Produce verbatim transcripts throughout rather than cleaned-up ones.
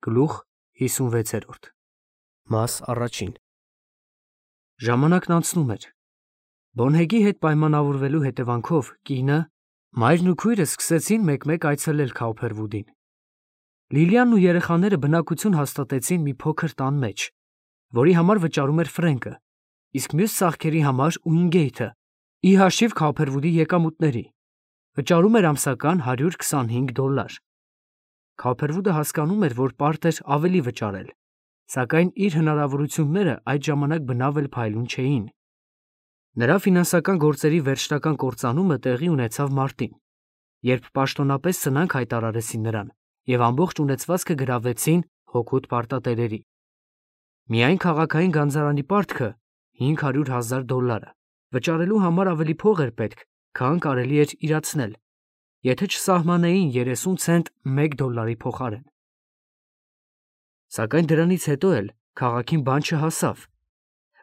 Գլուխ հիսունվեցերորդ Մաս առաջին Ժամանակն անցնում էր։ Բոնհեգի հետ պայմանավորվելու հետևանքով կինը, մայրն ու քույրը սկսեցին մեկ-մեկ այցելել Քաուփերվուդին։ Լիլիանն ու երեխաները բնակություն հաստատեցին մի փոքր տան մեջ, որի համար վճարում էր Ֆրենկը, իսկ մյուս ծախքերի համար Ուինգեյթը, ի հաշիվ Քաուփերվուդի եկամուտների, վճարում էր ամսական հարյուր քսանհինգ դոլար։ Քաուփերվուդը հասկանում էր, որ պարտ էր ավելի վճարել, սակայն իր հնարավորությունները այդ ժամանակ բնավ էլ փայլուն չէին։ Նրա ֆինանսական գործերի վերջնական կործանումը տեղի ունեցավ մարտին, երբ պաշտոնապես սնանկ հայտարարեցին նրան և ամբողջ ունեցվածքը գրավեցին հօգուտ պարտատերերի։ Միայն քաղաքային գանձարանի պարտքը հինգ հարյուր հազար դոլարը վճարելու համար ավելի փող էր պետք, քան կարելի էր իրացնել, եթե չսահմանեին երեսուն ցենտ մեկ դոլարի փոխարեն։ Սակայն դրանից հետո էլ քաղաքին բան չհասավ,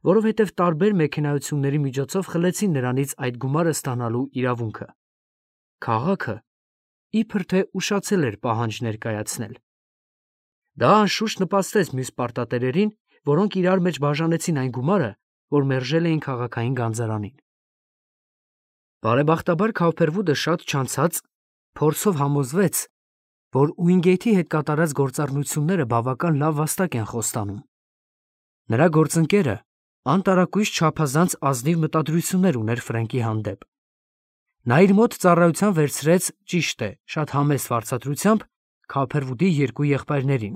որովհետև տարբեր մեքենայությունների միջոցով խլեցին նրանից այդ գումարը ստանալու իրավունքը։ Քաղաքը իբր թե ուշացել էր պահանջ ներկայացնել։ Դա անշուշտ նպաստեց մյուս պարտատերերին, որոնք իրար մեջ բաժանեցին այն գումարը, որ մերժել էին քաղաքային գանձարանին։ Բարեբախտաբար Քաուփերվուդը շատ չանցած փորձով համոզվեց, որ Ուինգեյթի հետ կատարած գործառնությունները բավական լավ վաստակ են խոստանում։ Նրա գործընկերը անտարակույս չափազանց ազնիվ մտադրություններ ուներ Ֆրենկի հանդեպ։ Նա իր մոտ ծառայության վերցրեց, ճիշտ է, շատ համեստ վարձատրությամբ Քաուփերվուդի երկու եղբայրներին։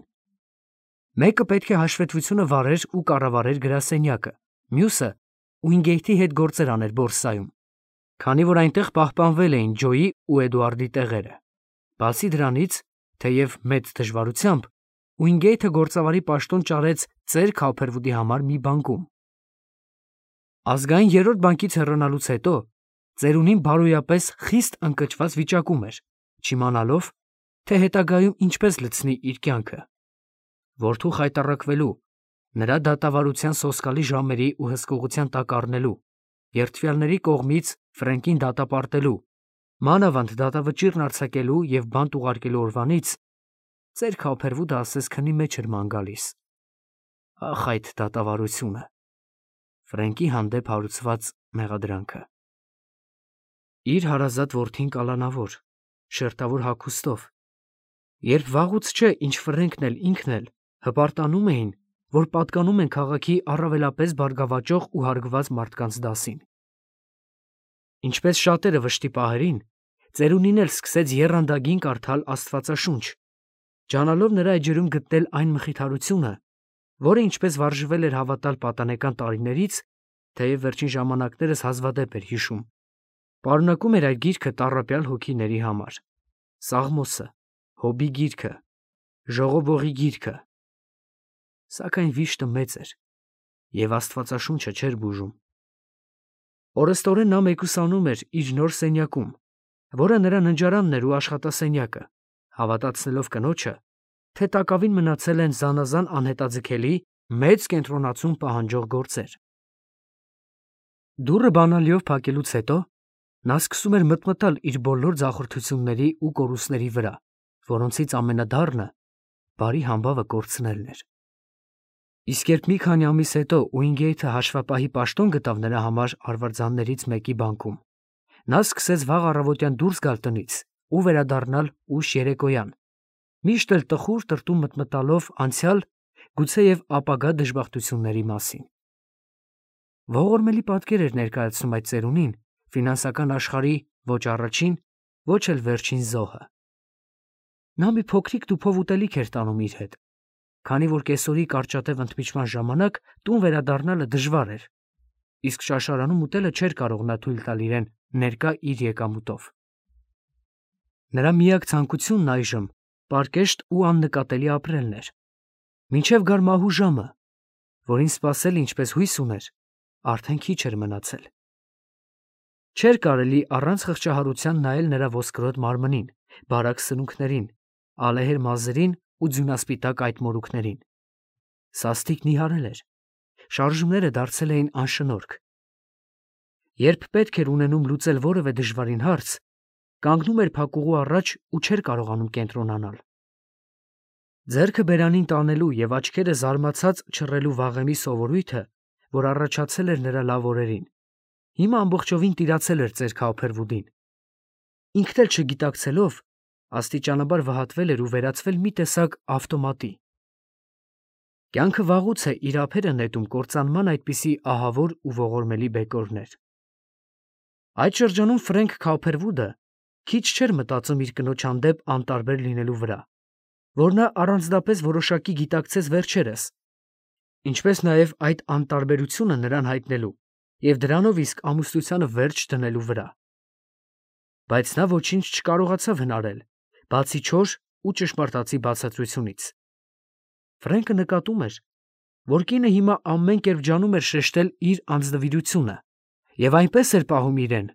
Մեկը պետք է հաշվետվությունը վարեր ու կառավարեր գրասենյակը, մյուսը Ուինգեյթի հետ գործեր աներ բորսայում, քանի որ այնտեղ պահպանվել էին Ջոյի ու Էդուարդի տեղերը։ Բացի դրանից, թեև մեծ դժվարությամբ, Ուինգեյթը գործավարի պաշտոն ճարեց ծեր Քաուփերվուդի համար մի բանկում։ Ազգային երրորդ բանկից հեռանալուց հետո ծերունին բարոյապես խիստ ընկճված վիճակում էր, չիմանալով, թե հետագայում ինչպես լցնի իր կյանքը։ Որդու խայտառակվելու, նրա դատավարության սոսկալի ժամերի ու հսկողության տակ առնելու, երդվյալների կողմից Ֆրենկին դատապարտելու, մանավանդ դատավճիռն արձակելու և բանտ ուղարկելու օրվանից ծեր Քաուփերվուդը ասես քնի մեջ էր ման գալիս։ Ախ, այդ դատավարությունը, Ֆրենկի հանդեպ հարուցված մեղադրանքը։ Իր հարազատ որդին կալանավոր, շերտավոր հագուստով, երբ վաղուց չէ, ինչ Ֆրենկն էլ ինքն էլ հպարտանում էին, որ պատկանում են քաղաքի առավելապես բարգավաճող ու հարգված մարդկանց դասին։ Ինչպես շատերը վշտի պահերին, ծերունին էլ սկսեց եռանդագին կարդալ Աստվածաշունչ, ջանալով նրա էջերում գտնել այն մխիթարությունը, որը ինչպես վարժվել էր հավատալ պատանեկան տարիներից, թեև վերջին ժամանակներս հազվադեպ էր հիշում, պարունակում էր այդ գիրքը տառապյալ հոգիների համար. Սաղմոսը, Հոբի գիրքը, Ժողովողի գիրքը։ Սակայն վիշտը մեծ էր, և Աստվածաշունչը չէր բուժում։ Օրըստորեն նա մեկուսանում էր իր նոր սենյակում, որը նրա ննջարանն էր ու աշխատասենյակը, հավատացնելով կնոջը, թե տակավին մնացել են զանազան անհետաձգելի, մեծ կենտրոնացում պահանջող գործեր։ Դուռը բանալիով փակելուց հետո նա սկսում էր մտմտալ իր բոլոր ձախորդությունների ու կորուստների վրա, որոնցից ամենադառնը բարի համբավը կորցնելն էր։ Իսկ երբ մի քանի ամիս հետո Ուինգեյթը հաշվապահի պաշտոն գտավ նրա համար արվարձաններից մեկի բանկում, նա սկսեց վաղ առավոտյան դուրս գալ տնից ու վերադառնալ ուշ երեկոյան, միշտ էլ տխուր տրտում մտմտալով անցյալ, գուցեև ապագա դժբախտությունների մասին։ Ողորմելի պատկեր էր ներկայացնում այդ ծերունին ֆինանսական աշխարհի ոչ առաջին, ոչ էլ վերջին զոհը։ Նա մի փոքրիկ տուփով ուտելիք էր տանում իր հետ, քանի որ կեսօրի կարճատև ընդմիջման ժամանակ տուն վերադառնալը դժվար էր, իսկ շաշարանում ուտելը չէր կարող նա թույլ տալ իրեն ներկա իր եկամուտով։ Նրա միակ ցանկությունն այժմ պարկեշտ ու աննկատելի ապրելն էր, մինչև գար մահու ժամը, որին սպասել, ինչպես հույս ուներ, արդեն քիչ էր մնացել։ Չէր կարելի առանց խղճահարության նայել նրա ոսկրոտ մարմնին, բարակ սնունքներին, ալեհեր մազերին ու ձյունասպիտակ այդ մորուքներին։ Սաստիկն իհարել էր, շարժումները դարձել էին անշնորհք։ Երբ պետք էր ունենում լուծել որևէ դժվարին հարց, կանգնում էր փակուղու առաջ ու չէր կարողանում կենտրոնանալ։ Ձեռքը բերանին տանելու և աչքերը զարմացած չռելու վաղեմի սովորույթը, որ առաջացել էր նրա լավ օրերին, հիմա ամբողջովին տիրացել էր ծեր Քաուփերվուդին։ Ինքն էլ չգիտակցելով, աստիճանաբար վհատվել էր ու վերածվել մի տեսակ ավտոմատի։ Կյանքը վաղուց է իր ափերը նետում կործանման այդպիսի ահավոր ու ողորմելի բեկորներ։ Այդ շրջանում Ֆրենք Քաուփերվուդը քիչ չէր մտածում իր կնոջ հանդեպ անտարբեր լինելու վրա, որ նա առանձնապես որոշակի գիտակցեց վերջերս, ինչպես նաև այդ անտարբերությունը նրան հայտնելու և դրանով իսկ ամուսնությանը վերջ դնելու վրա։ Բայց նա ոչինչ չկարողացավ հնարել, բացի չոր ու ճշմարտացի բացատրությունից։ Ֆրենկը նկատում էր, որ կինը հիմա ամեն կերպ ջանում էր շեշտել իր անձնվիրությունը և այնպես էր պահում իրեն,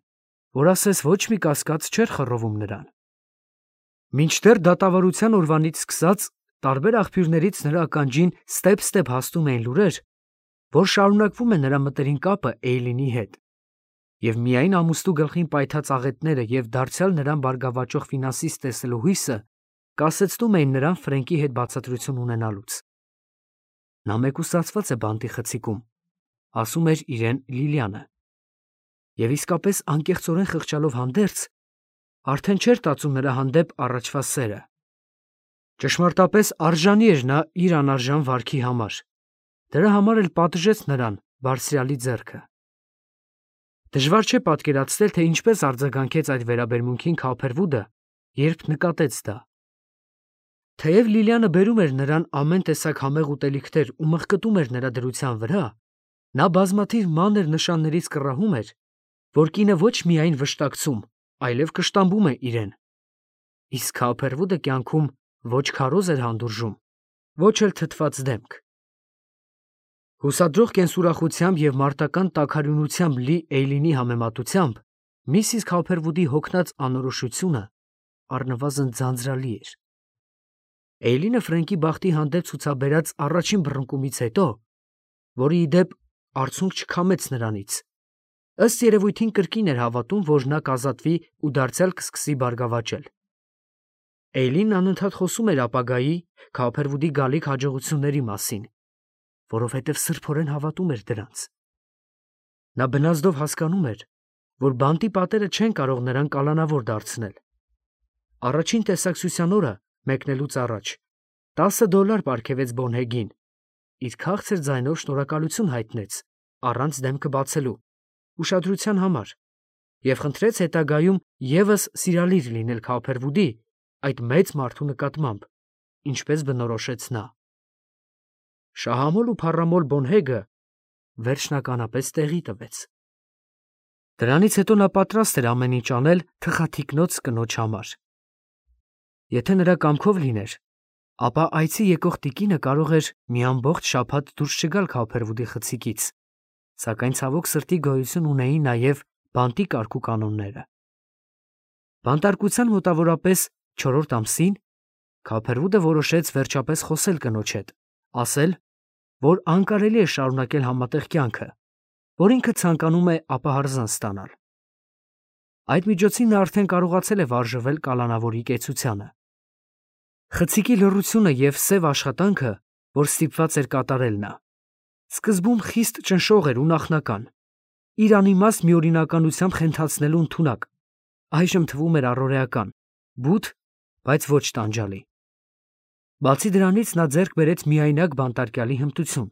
որ ասես ոչ մի կասկած չէր խռովում նրան։ Մինչդեռ դատավարության օրվանից սկսած տարբեր աղբյուրներից նրա ականջին ստեպ-ստեպ հասնում էին լուրեր, որ շարունակվում է նրա մտերիմ կապը Էյլինի հետ, և միայն ամուսնու գլխին պայթած աղետները և դարձյալ նրան բարգավաճող ֆինանսիստ տեսնելու հույսը կասեցնում էին նրան Ֆրենկի հետ բացատրություն ունենալուց։ Նա մեկուսացված է բանտի խցիկում, ասում էր իրեն Լիլիանը, և իսկապես անկեղծորեն խղճալով հանդերձ, արդեն չէր տածում նրա հանդեպ առաջվա սերը։ Ճշմարտապես արժանի էր նա իր անարժան վարքի համար, դրա համար էլ պատժեց նրան բարձրյալի ձեռքը։ Դժվար չէ պատկերացնել, թե ինչպես արձագանքեց այդ վերաբերմունքին Քաուփերվուդը, երբ նկատեց դա։ Թեև Լիլիանը բերում էր նրան ամեն տեսակ համեղ ուտելիքներ ու մղկտում էր նրա դրության վրա, նա բազմաթիվ մանր նշաններից կռահում էր, որ կինը ոչ միայն վշտակցում, այլև կշտամբում է իրեն։ Իսկ Քաուփերվուդը կյանքում ոչ քարոզ էր հանդուրժում, ոչ էլ թթված դեմք։ Հուսադրող կենսուրախությամբ և մարտական տաքարյունությամբ լի Էյլինի համեմատությամբ միսիս Քաուփերվուդի հոգնած անորոշությունը առնվազն ձանձրալի էր։ Էյլինը Ֆրենկի բախտի հանդեպ ցուցաբերած առաջին բռնկումից հետո, որը ի դեպ արցունք չքամեց նրանից, ըստ երևույթին կրկին էր հավատում, որ նա կազատվի ու դարձյալ կսկսի բարգավաճել։ Էյլինն անընդհատ խոսում էր ապագայի Քաուփերվուդի գալիք հաջողությունների մասին, որովհետև սրբորեն հավատում էր դրանց։ Նա բնազդով հասկանում էր, որ բանտի պատերը չեն կարող նրան կալանավոր դարձնել։ Առաջին տեսակցության օրը մեկնելուց առաջ տասը դոլար պարգևեց Բոնհեգին, իր քաղցր ձայնով շնորհակալություն հայտնեց առանց դեմքը բացելու ուշադրության համար և խնդրեց հետագայում ևս սիրալիր լինել Քաուփերվուդի այդ մեծ մարդու նկատմամբ, ինչպես բնորոշեց նա։ Շահամոլ ու փառամոլ Բոնհեգը վերջնականապես տեղի տվեց։ Դրանից հետո նա պատրաստ էր ամեն ինչ անել թխաթիկնոց կնոջ համար։ Եթե նրա կամքով լիներ, ապա այցի եկող տիկինը կարող էր մի ամբողջ շաբաթ դուրս չգալ Քաուփերվուդի խցիկից, սակայն ցավոք սրտի գոյություն ունեին նաև բանտի կարգ ու կանոնները։ Բանտարկության մոտավորապես չորրորդ ամսին Քաուփերվուդը որոշեց վերջապես խոսել կնոջ հետ, ասել, որ անկարելի է շարունակել համատեղ կյանքը, որ ինքը ցանկանում է ապահարզան ստանալ։ Այդ միջոցին նա արդեն կարողացել է վարժվել կալանավորի կեցությանը։ Խցիկի լռությունը և սև աշխատանքը, որ ստիպված էր կատարել նա, սկզբում խիստ ճնշող էր ու նախնական, իր անիմաստ միօրինականությամբ խենթացնելու ընդունակ, այժմ թվում էր առօրեական, բութ, բայց ոչ տանջալի։ Բացի դրանից նա ձեռք բերեց միայնակ բանտարկյալի հմտություն։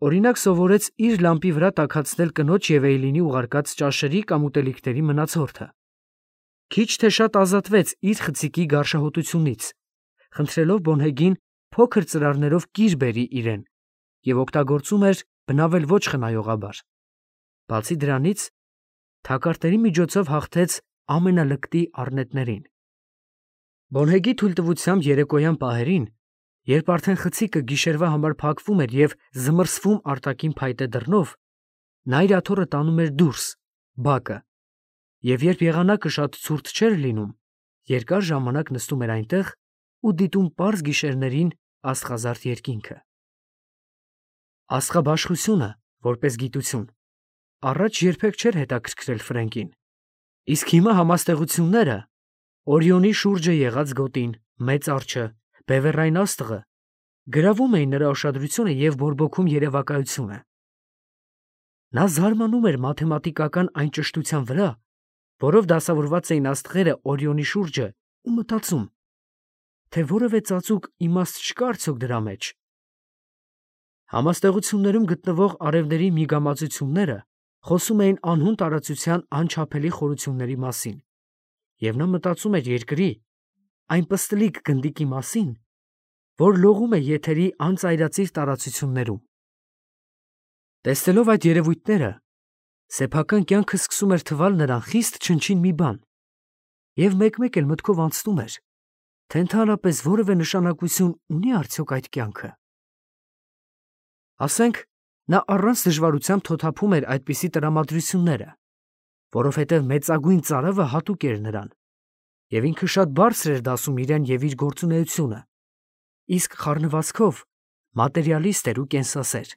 Օրինակ սովորեց իր լամպի վրա տաքացնել կնոջ և Էյլինի ուղարկած ճաշերի կամ ուտելիքների մնացորդը։ Քիչ թե շատ ազատվեց իր խցիկի գարշահոտությունից, խնդրելով Բոնհեգին փոքր ծրարներով կիր բերի իրեն և օգտագործում էր բնավել ոչ խնայողաբար։ Բացի դրանից, թակարդների միջոցով հաղթեց ամենալկտի առնետներին։ Բոնհեգի թույլտվությամբ երեկոյան պահերին, երբ արդեն խցիկը գիշերվա համար փակվում էր և զմռսվում արտաքին փայտե դռնով, նա իր աթոռը տանում էր դուրս, բակը, և երբ եղանակը շատ ցուրտ չէր լինում, երկար ժամանակ նստում էր այնտեղ ու դիտում պարզ գիշերներին աստղազարդ երկինքը։ Աստղաբաշխությունը, որպես գիտություն, առաջ երբեք չէր հետաքրքրել Ֆրենկին, իսկ հիմա համաստեղությունները՝ Օրիոնի շուրջը եղած գոտին, մեծ արջը, բևեռային աստղը գրավում էին նրա ուշադրությունը և բորբոքում երևակայությունը։ Նա զարմանում էր մաթեմատիկական այն ճշտության վրա, որով դասավորված էին աստղերը Օրիոնի շուրջը, ու մտածում, թե որևէ ծածուկ իմաստ չկա արդյոք դրա մեջ։ Համաստեղություններում գտնվող արևների միգամածությունները խոսում էին անհուն տարածության անչափելի խորությունների մասին, և նա մտածում էր երկրի, այն պստլիկ գնդիկի մասին, որ լողում է եթերի անծայրածիր տարածություններում։ Տեսնելով այդ երևույթները, սեփական կյանքը սկսում էր թվալ նրան խիստ չնչին մի բան, և մեկ-մեկ էլ մտքով անցնում էր, թե ընդհանրապես որևէ նշանակություն ունի արդյոք այդ կյանքը։ Ասենք, նա առանց դժվարությամբ թոթափում էր այդպիսի տրամադրությունները, որովհետև մեծագույն ծարավը հատուկ էր նրան, և ինքը շատ բարձր էր դասում իրեն և իր գործունեությունը, իսկ խառնվածքով մատերիալիստ էր ու կենսասեր։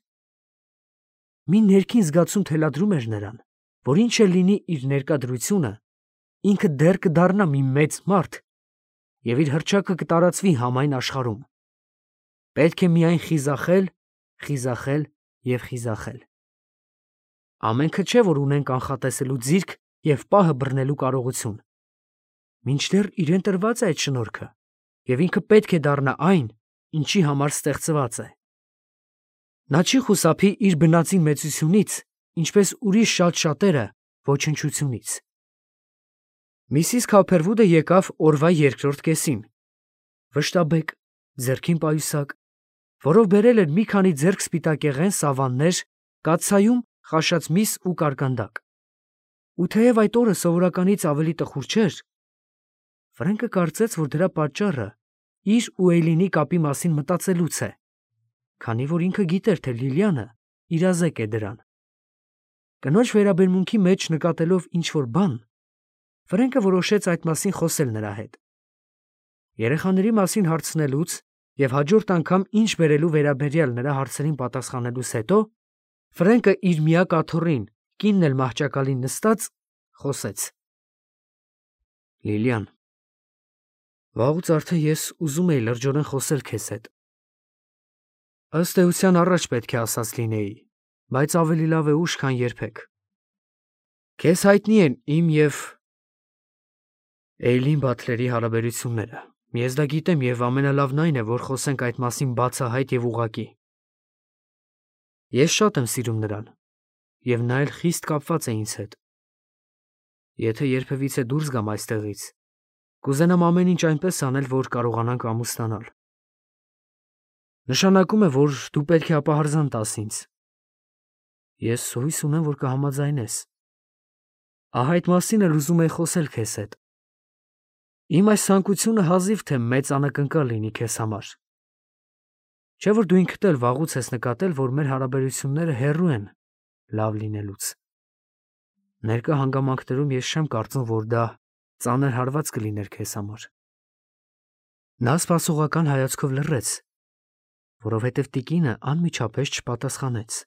Մի ներքին զգացում թելադրում էր նրան, որ ինչ էլ լինի իր ներկա դրությունը, ինքը դեռ կդառնա մի մեծ մարդ և իր հռչակը կտարածվի համայն աշխարհում։ Պետք է միայն խիզախել, խիզախել և խիզախել։ Ամենքը չէ, որ ունեն կանխատեսելու ձիրք և պահը բռնելու կարողություն։ Մինչդեռ իրեն տրված է այդ շնորհքը, և ինքը պետք է դառնա այն, ինչի համար ստեղծված է։ Նա չի խուսափի իր բնածին մեծությունից, ինչպես ուրիշ շատ շատերը ոչնչությունից։ Միսիս Քափերվուդը եկավ օրվա երկրորդ կեսին, վշտաբեկ, ձեռքին պայուսակ, որով բերել էր մի քանի ձեռք սպիտակեղեն սավաններ, կաթսայում խաշած միս ու կարկանդակ։ Ու թեև այդ օրը սովորականից ավելի տխուր չէր, Ֆրենկը կարծեց, որ դրա պատճառը իր ու Էյլինի կապի մասին մտածելուց է, քանի որ ինքը գիտեր, թե Լիլիանը իրազեկ է դրան։ Կնոջ վերաբերմունքի մեջ նկատելով ինչ-որ բան, Ֆրենկը որոշեց այդ մասին խոսել նրա հետ։ Երեխաների մասին հարցնելուց և հաջորդ անգամ ինչ բերելու վերաբերյալ նրա հարցերին պատասխանելուց հետո, Ֆրենկը իր միակ աթոռին, կինն էլ մահճակալին նստած, խոսեց. Լիլիան, վաղուց արդեն ես ուզում էի լրջորեն խոսել քեզ հետ։ Ըստ էության առաջ պետք է ասած լինեի, բայց ավելի լավ է ուշ, քան երբեք։ Քեզ հայտնի են իմ և Էյլին Բաթլերի հարաբերությունները։ Ես դա գիտեմ և ամենալավն այն է, որ խոսենք այդ մասին բացահայտ և ուղղակի։ Ես շատ եմ սիրում նրան, և նա էլ խիստ կապված է ինձ հետ։ Եթե երբևիցե դուրս գամ այստեղից, կուզենամ ամեն ինչ այնպես անել, որ կարողանանք ամուսնանալ։ Նշանակում է, որ դու պետք է ապահարզան տաս ինձ։ Ես հույս ունեմ, որ կհամաձայնես։ Ահա այդ մասին էլ ուզում էի խոսել քեզ հետ։ Իմ այս ցանկությունը հազիվ թե մեծ անակնկալ լինի քեզ համար։ Չէ՞ որ դու ինքդ էլ վաղուց ես նկատել, որ մեր հարաբերությունները հեռու են լավ լինելուց։ Ներկա հանգամանքներում ես չեմ կարծում, որ դա ծանր հարված կլիներ քեզ համար։ Նա սպասողական հայացքով լռեց, որովհետև տիկինը անմիջապես չպատասխանեց։